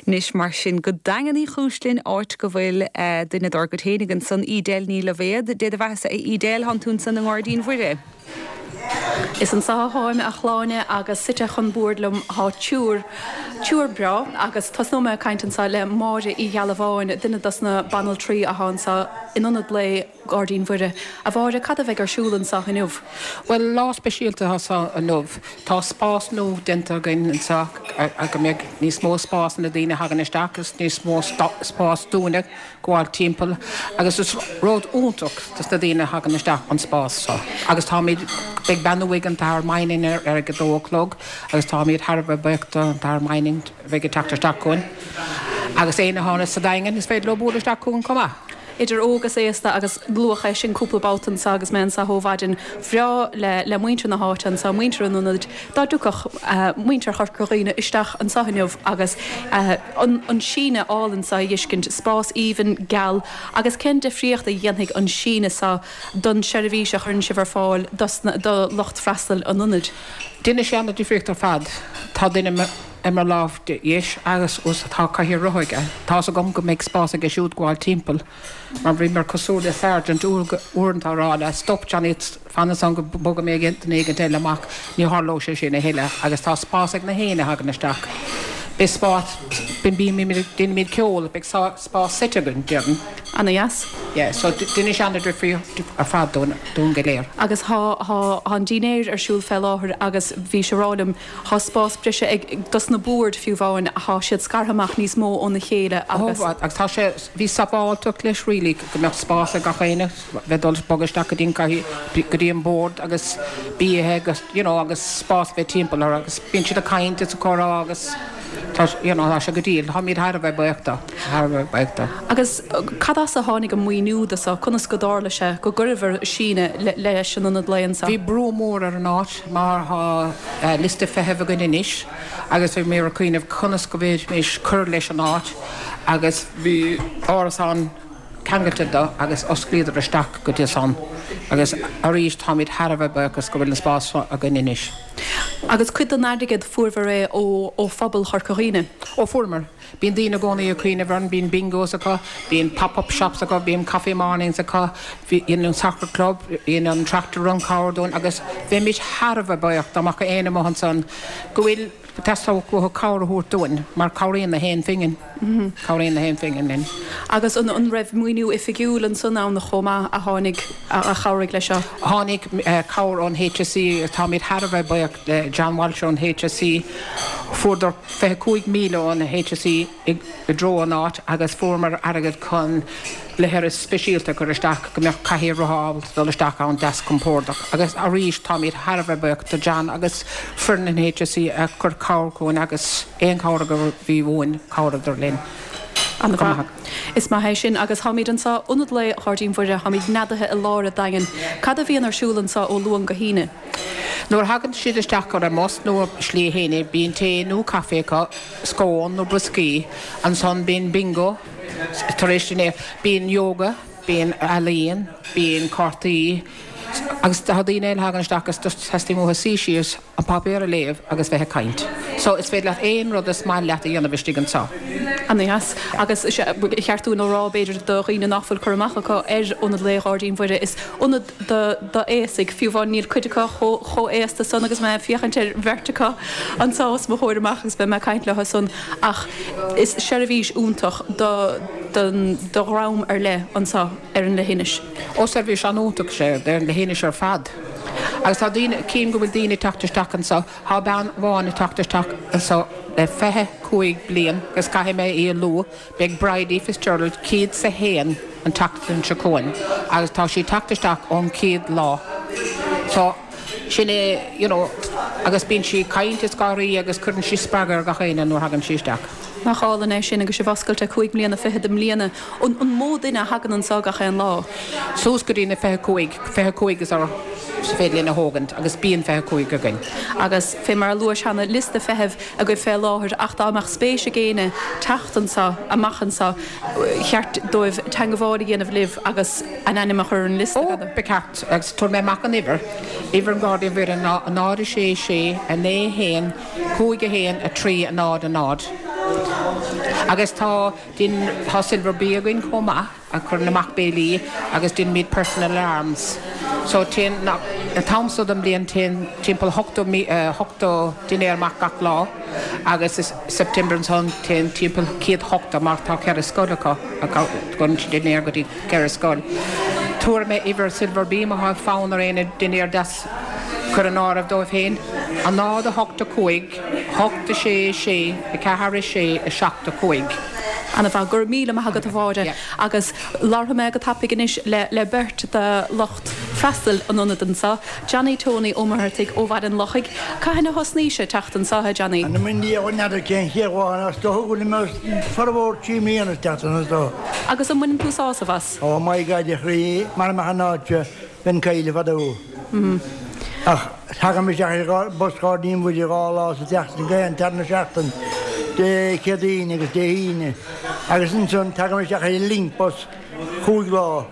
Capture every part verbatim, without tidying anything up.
Anois mar sin go Daingean Uí Chúis linn áit go bhfuil uh, duine dár gcuid féinig ansan Edel Ní Loibhéad, Dé do bheathasa a Edel thánn tú ansan i nGairdín Mhuire. Is anseo atáim a Shláine agus suite chun boird liom tá triúr triúr breá agus tosnóidh mé caint anseo le Máire Uí Ghealbháin duine dos na banaltraí atá anseo in ionad lae Ghairdín Mhuire. A Mháire cad a bheidh ar siúl anseo inniu. Well lá speisialta anseo inniu Tá spás nua déanta againn anseo go mbeidh níos mó spás na daoine thagann isteach agus níos mó spás dúinne gabháil timpeall agus is rud iontach dos na daoine thagann isteach an spás seo. Agus táimid beidh beannú ag an tAthair Mining ar ar a dó a chlog agus táimid thar a bheith buíoch an tAthair Mining bheith ag teacht isteach chugainn. Agus éinne atá sa Daingean is féidir leo bualadh isteach chugainn chomh maith. Idir óg agus aosta agus luadh é sin cúpla babhta anseo agus mé anseo ó mhaidin bhreá le le muintir na háite anseo muintir an ionaid dá dtiocfadh uh, muintir Chorca Dhuibhne isteach anseo inniu agus uh, an, an síneadh álainn seo a fheiscint spás aoibhinn geal agus cén difríocht a dhéanfaidh an síneadh seo don seirbhís a chuireann sibh ar fáil do lucht freastail an ionaid. Déanfaidh sé an difríocht ar fad Tá duine i mo lámh dheis agus us tá cathaoir rotha aige. Tá agam go mbeidh spás aige siúd gabháil timpeall. Mar bhí mar cosúil le sergeant uaireanta ag rá le stop Johnny fan ansan go mbogfaidh mé duine éigin eile amach ní tharlóidh sé sin a thuilleadh agus tá spás ag na héinne thagann isteach. Beidh spás déanaimid ceol beidh spás suite againn déarfainn. An-deas? Yeah, so déanfaidh sé an difríocht ar fad dúinn go léir. Agus tá an dinnéar ar siúl fé láthair agus bhí sé rálim tá spás breise ag dos na boird fiú amháin tá siad scartha amach níos mó óna chéile agus agus tá sé bhí sábháilteacht leis really go mbeadh spás ag gach éinne bheith dul bogadh isteach go dtí go dtí an bord agus bia agus you know, agus spás bheith timpeall ar agus bíonn siad ag caint is ag comhrá agus tá you know, tá sé go diail táimid thar a bheith buíoch thar a bheith buíoch. Agus cad as a tháinig an maoiniú do seo conas go dtarla sé go gcuirfear síneadh leis an ionad lae Bhí brú mór ar an áit mar tá liosta feithimh againn anois agus bhí mé ag cuimhneamh conas go bhféadfaimis cur leis an áit agus bhí árasán ceangailte do agus osclaíodar isteach go dtí san agus arís táimid thar a bheith buíoch go bhfuil an spás againn anois. Agus cuid den airgead fuaireabhair é ó ó phobal Chorca Dhuibhne. Ó fuaireamar. Bíonn daoine i gcónaí ag cuimhneamh orainn, bíonn bingos acu, bíonn pop-up shops acu, bíonn coffee mornings acu, bíonn an soccer club, bíonn an tractor run cabhair dúinn agus bheimid thar a bheith buíoch dá mbeadh éinne amuigh ansan go bhfuil teastódh uathu cabhair a thabhairt dúinn mar cabhraíonn na haon phingin cabhraíonn na haon phingin linn. Agus an an raibh maoiniú oifigiúil ansan ann chomh maith a tháinig a chabhraigh leis seo. Tháinig cabhair ón HSE táimid thar a bheith buíoch le John Walsh ón HSE fuaireadar fiche cúig míle ón HSE i dtreo an áit agus fuaireamar airgead chun leithreas speisialta chur isteach go mbeadh cathaoir rotha ábalta dul isteach ann deas compordach agus arís táimid thar a bheith buíoch do John agus foireann an HSE a chur cabhair chugainn agus aon cabhair go bhí uainn chabhraíodar linn. An Is maith é sin agus táimid anseo Ionad Lae Ghairdín Mhuire táimid neadaithe i lár an Daingin. Cad a bhíonn ar siúl anseo ó Luan go hAoine. Nuair thagann siad isteach ar an mbus nó slí fhéine bíonn tae nó caife acu, scón nó brioscaí, ansan bíonn bingo tar éis dinnéir, bíonn yoga, bíonn ealaíon, bíonn cártaí, agus tá daoine eile thagann isteach agus teastaíonn uathu suí síos an páipéar a léamh agus bheith ag caint. So is féidir leat aon rud is maith leat a dhéanamh istigh anseo. An-deas agus cheart dúinn a rá b'fhéidir do dhaoine nach bhfuil cur amach acu ar Ionad Lae Ghairdín Mhuire is ionad d'aosaigh fiú amháin níl cuid acu chomh haosta san agus mé féachaint ar bheirt acu anseo os mo chomhair amach agus beidh mé ag caint leo san ach is seirbhís iontach do do dhream ar leith anseo ar an leithinis. Ó seirbhís an-iontach sé ar an leithinis ar fad. Agus tá daoine cím go bhfuil daoine teacht isteach anseo, Tá bean amháin ag teacht isteach anseo le fiche cúig bliain agus caithfidh mé í a lua, beidh Bridie Fitzgerald céad is a haon an tseachtain seo chugainn agus tá sí teacht isteach ón chéad lá. So sin é you know, agus bíonn sí caint is gáirí agus cuireann sí spreagadh ar gach éinne nuair thagann sí isteach. Nach álainn é sin agus sibh oscailte cúig mbliana fichead i mbliana an an mó duine a thagann anseo gach aon lá. Suas go dtí na fiche cúig, fiche cúig is ar is féidir linn a thógaint agus bíonn fiche cúig againn. Agus fé mar a luais cheana liosta feithimh agaibh fé láthair ach dá mbeadh spéis ag éinne teacht anseo amach anseo cheart dóibh teagmháil a dhéanamh libh agus a n-ainm a chur ar an liosta. Ó ba cheart agus tabharfaidh mé amach an uimhir, uimhir an Ghairdín Mhuire ná náid a sé sé a naoi haon cúig a haon a trí a náid a náid. Agus tá din tá Silver B againn chomh maith a chuireann amach béilí agus déanaimid personal alarms. So téann an t-am so den bhliain téann timpeall ochtó ochtó dinnéar amach gach lá agus is September ansan téann timpeall céad ochtó mar tá ceithre scoil acu gon dinnéar go dtí ceithre scoil. Tabharfaidh mé uimhir Silver B má tá fonn ar éinne dinnéar deas chur in áirithe dóibh féin, a náid a hocht a cúig, hocht a sé sé, a ceathair a sé, a seacht a cúig. Ana-mhaith, go raibh míle maith agat a Mháire. Agus labharfaidh mé go tapaidh anois le le beirt de lucht freastail an ionaid anseo, Johnny Tony Ó Muircheartaigh ó Bhaile an Lochaigh. Cathain a thosnaís ag teacht anseo, a Johnny? Anam i ndiaidh n'fheadar cén chéad lá as do thug mé formhór trí mbliana isteach anseo. Agus an mbaineann tú sásamh as? Ó my God a chroí, mara mbeadh an áit seo, bheinn caillte fadó. Ach tagaim isteach ar bus Ghairdín Mhuire dhá lá sa tseachtain, gach aon tarna seachtain, Dé Céadaoine agus Dé hAoine, agus ansan tagaim isteach ar an Link bus chúig lá.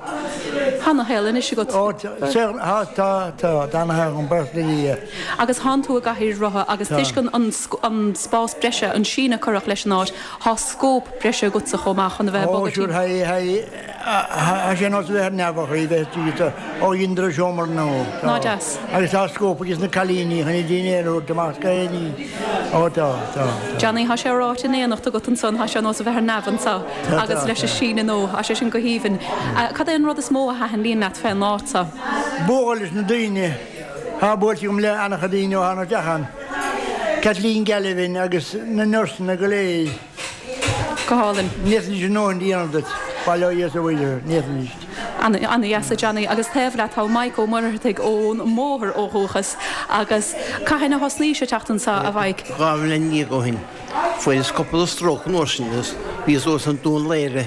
Tá ana-shaol anois agat. Ó, tá, tá, tá, tá ana-shaol agam, buíochas le Dia. Agus thánn tú i gcathaoir rotha agus toisc an, an, an spás breise, an síneadh a cuireadh leis an áit, thá scóip breise agatsa chomh maith chun a bheith ag Ó, bogadh sure, timpeall. high, high. Tá sé ar nós a bheith ar neamh a chroí bheith istigh sa ó dheineadar an seomra nua. Tá. Ná deas. Agus tá scóip aige sna cailíní chun a dinnéar a thabhairt amach go héiní. Ó tá, tá, tá. Johnny, tá sé ráite in éineacht agat ansan, tá sé ar nós a bheith ar neamh anso Tá, agus tá, leis an tá. síneadh nua, tá sé sin go haoibhinn. Cad é an rud is mó a thaitníonn leat fén áit so? Bualadh leis na daoine. Tá buailte agam le an-chuid daoine ó tháinig isteach ann. Kathleen Galvin agus na nursanna go léir. Go hálainn. Ní fhéadfaidís a ndóthain a dhéanamh duit, bail ó Dhia is ó Mhuire orthu, ní fhéadfaidís. Ana-dheas a Johnny agus taobh leat tá Mike Ó Muircheartaigh ón mBóthar ó dhúchas agus cathain a thosnaís ag teacht anso a Mhaidhc? Dhá bhliain dhéag ó shin. Fuaireas cúpla stróc an uair sin agus bhíos thuas an Dún Laoghaire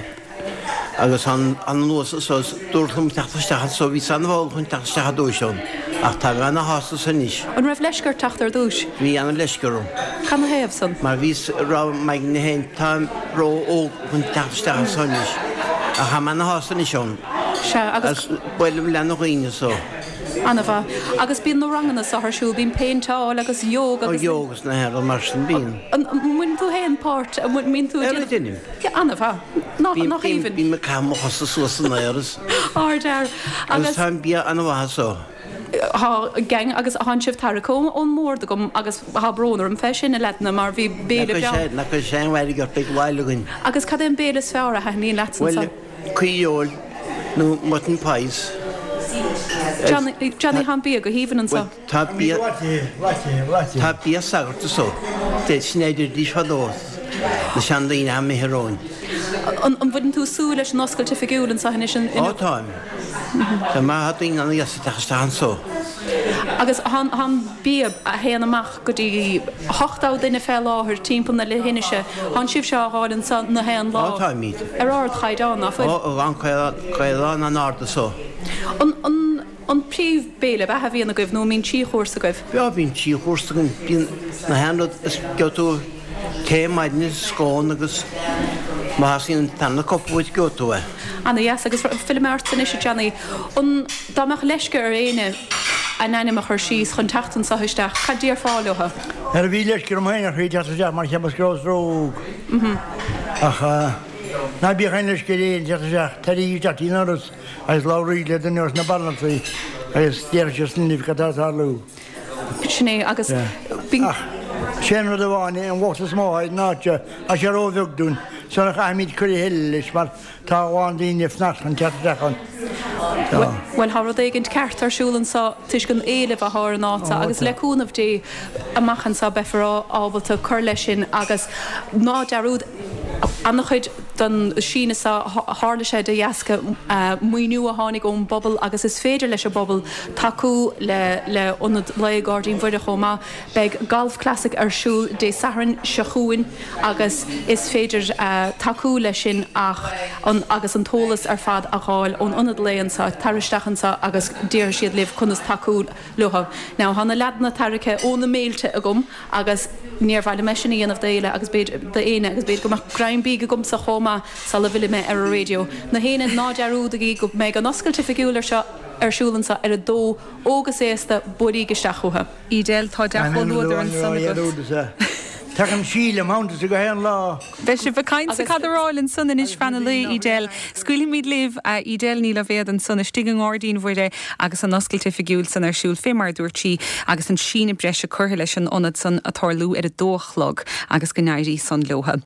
agus an anuas anso is dúradh liom teacht isteach anso, bhíos an-mhall chun teacht isteach ar dtúis ann ach tá mé ana-shásta anso anois. An raibh leisce ort teacht ar dtúis? Bhí an-leisce orm. Canathaobh san? Mar bhíos raibh m'aigne féin, táim ró-óg chun teacht isteach anso anois ach tá mé ana-shásta anois ann. Sea, agus. Agus buailim le na dhaoine anso. Ana-mhaith. Agus bíonn na ranganna so ar siúl, bíonn péinteáil agus yoga agus. Ó, yoga is na haon rud mar sin, bíonn. An mbaineann tú féin páirt, an mbíonn tú ag Ar a déanamh. deinim. Yeah, ana-mhaith. Nach, Bím, nach bím, aoibhinn. bím ag caitheamh mo chosa suas san aer is. Ardfhear. Agus Agus tá an bia ana-mhaith anso. Thá gang agus thánn sibh tarraicthe ón mbord agam agus thá brón orm fé sin, a leaideanna, mar bhí béile Nach breá. bhfuil sé, nach bhfuil sé aon mhairg ort, beidh lá eile againn. Agus cad é an béile is fearr a thaitníonn leatsa Bhuel, anso? caoirfheoil nó mutton pies. Johnny, Johnny thá an bia go haoibhinn anso. Bhuel, tá bia, tá bia sagart anso. Sin é a deiridís fadó, na seandaoine a imithe romhainn. An an bhfuileann tú súil leis an oscailt oifigiúil anso anois in, Ó, táim. Tá maith daoine ana-dheas ag teacht isteach anso. Agus thá an bia a théann amach go dtí ochtó duine fé láthair timpeall na leithinise. Thánn sibhse á fháil anso na haon lá. Ó, táimid. Ar ardchaighdeán, ná fuil? Ó, an caighdeán an-ard anso. An, an, an príomh béile beatha a bhíonn agaibh nó an mbíonn trí chúrsa agaibh? Beo, bíonn trí chúrsa againn. Bíonn na haon rud is gheobhaidh tú tae maidine, scone agus má theastaíonn an tarna cupa uait gheobhaidh tú é. Ana-dheas agus fillfidh mé ort anois a Johnny. An, dá mbeadh leisce ar éinne a n-ainm a chur síos chun teacht anso isteach, cad déarfá leo? Nuair a bhí leisce orm féin a chroí teacht isteach mar cheapas go rabhas ró-óg. Ach ná bíodh aon leisce ar éinne teacht isteach, taraigí isteach tríd an ndoras agus labhraígí le duine dos na banaltraí agus déarfaidh siad sin libh cad tá ag tarlú. Sin é agus bíonn. Ach sé an rud amháin é, an locht is mó ar an áit seo, tá sé ró-bheag dúinn, so caithfimid cur a thuilleadh leis mar tá a lán daoine ag fanacht chun teacht isteach ann. Tá. Bhuel, tá rud éigint ceart ar siúl anso toisc an éileamh atá ar an áit seo agus le cúnamh Dé amach anseo beifear ábalta cur leis sin agus ná dearúd an-chuid den síneadh seo tharla sé de dheasca maoiniú a tháinig ón bpobal agus is féidir leis an bpobal tacú le le Ionad Lae Gairdín Mhuire chomh maith. Beidh Golf Classic ar siúl Dé Sathairn seo chugainn agus is féidir tacú leis sin ach an agus an t-eolas ar fad a fháil ón Ionad Lae anseo, tar isteach anseo agus déarfaidh siad libh conas tacú leo. Now tá na leaideanna tarraicthe ó na mbéilte agam agus níor mhaith liom é sin a dhéanamh d'éile agus b'fhéidir d'éinne agus b'fhéidir go mbeadh greim bídh agamsa chomh maith sula bhfillfidh mé ar an raidió. Na héinne ná dearúdaigí go mbeidh an oscailt oifigiúil ar seo ar siúl anseo ar a dó, óg is aosta, buailigí isteach chucu. Edel, tá dea-chomhluadar ansan agat. Tagann Síle Mountain go haon lá. Beidh sibh ag caint ag cadaráil ansan anois fan an lae Edel. Scaoilfimid libh Edel Ní Loibhéad ansan istigh i nGairdín Mhuire agus an oscailt oifigiúil san ar siúl fé mar a dúirt sí agus an síneadh breise curtha leis an ionad san ag tarlú ar a dó a chlog agus go n-éirí san leotha.